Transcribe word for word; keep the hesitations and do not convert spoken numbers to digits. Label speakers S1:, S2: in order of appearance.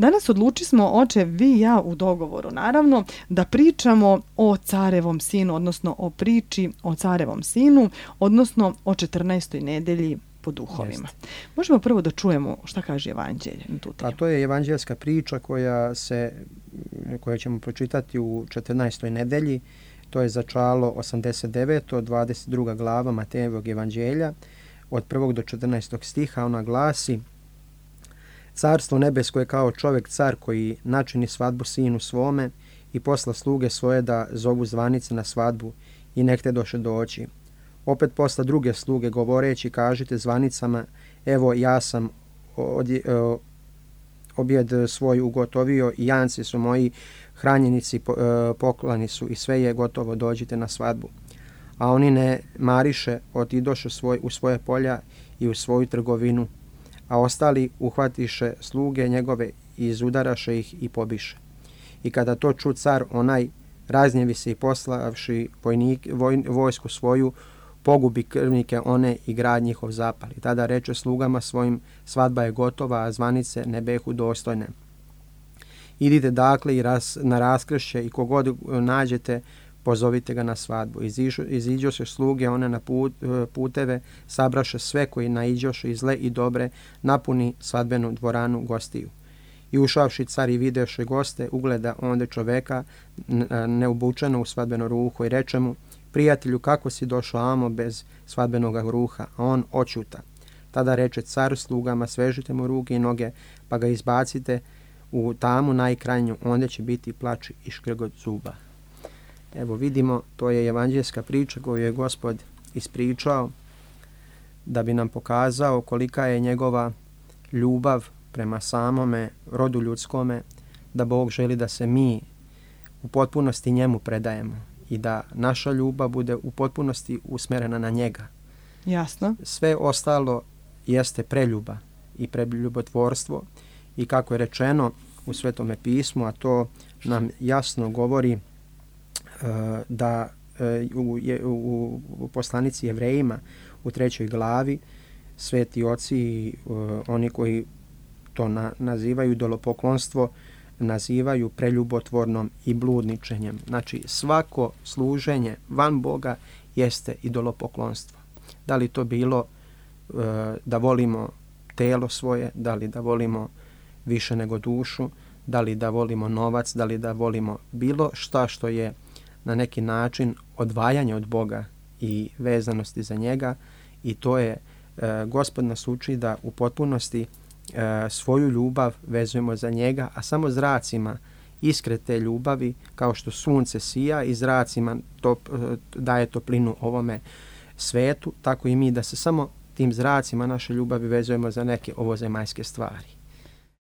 S1: Danas odluči smo, oče, vi i ja u dogovoru, naravno, da pričamo o carevom sinu, odnosno o priči o carevom sinu, odnosno o četrnaestoj nedelji po duhovima. Jeste. Možemo prvo da čujemo šta kaže Evanđelje na tu temu.
S2: A to je evanđelska priča koja se, koju ćemo pročitati u četrnaestoj nedelji. To je začalo osamdeset deveto dvadeset druga glava Matejevog evanđelja. Od prvog do četrnaestog stiha ona glasi: Carstvo nebesko je kao čovjek car koji načini svadbu sinu svome i posla sluge svoje da zovu zvanice na svadbu i nek te doše doći. Opet posla druge sluge govoreći kažite zvanicama, evo ja sam odje, objed svoj ugotovio i janci su moji, hranjenici poklani su i sve je gotovo, dođite na svadbu. A oni ne mariše, otidoše svoj, u svoje polja i u svoju trgovinu, a ostali uhvatiše sluge njegove i izudaraše ih i pobiše. I kada to ču car onaj, raznjevi se i poslavši vojnik, voj, vojsku svoju, pogubi krvnike one i grad njihov zapali. Tada reče slugama svojim, svadba je gotova, a zvanice ne behu dostojne. Idite dakle i ras, na raskršće i kogod nađete, pozovite ga na svadbu. Iziđoše sluge one na put, puteve, sabraše sve koji naiđoše i zle i dobre, napuni svadbenu dvoranu gostiju. I ušavši car i videše goste, ugleda onda čoveka neobučeno u svadbeno ruho i reče mu, prijatelju, kako si došao amo bez svadbenog ruha? A on očuta. Tada reče car slugama, svežite mu ruke i noge, pa ga izbacite u tamu najkrajnju, onda će biti plač i škrgot zuba. Evo vidimo, to je evanđelska priča koju je Gospod ispričao da bi nam pokazao kolika je njegova ljubav prema samome rodu ljudskome, da Bog želi da se mi u potpunosti njemu predajemo i da naša ljubav bude u potpunosti usmjerena na njega.
S1: Jasno. Sve
S2: ostalo jeste preljuba i preljubotvorstvo i kako je rečeno u Svetome pismu, a to nam jasno govori uh, da uh, u, u, u poslanici Jevrejima u trećoj glavi sveti oci i uh, oni koji to na, nazivaju idolopoklonstvo, nazivaju preljubotvornom i bludničenjem. Znači svako služenje van Boga jeste idolopoklonstvo. Da li to bilo uh, da volimo telo svoje, da li da volimo više nego dušu, da li da volimo novac, da li da volimo bilo šta što je na neki način odvajanje od Boga i vezanosti za njega, i to je uh, Gospod nas uči da u potpunosti uh, svoju ljubav vezujemo za njega, a samo zracima iskre te ljubavi, kao što sunce sija i zracima top, uh, daje toplinu ovome svetu, tako i mi da se samo tim zracima naše ljubavi vezujemo za neke ovozemaljske stvari.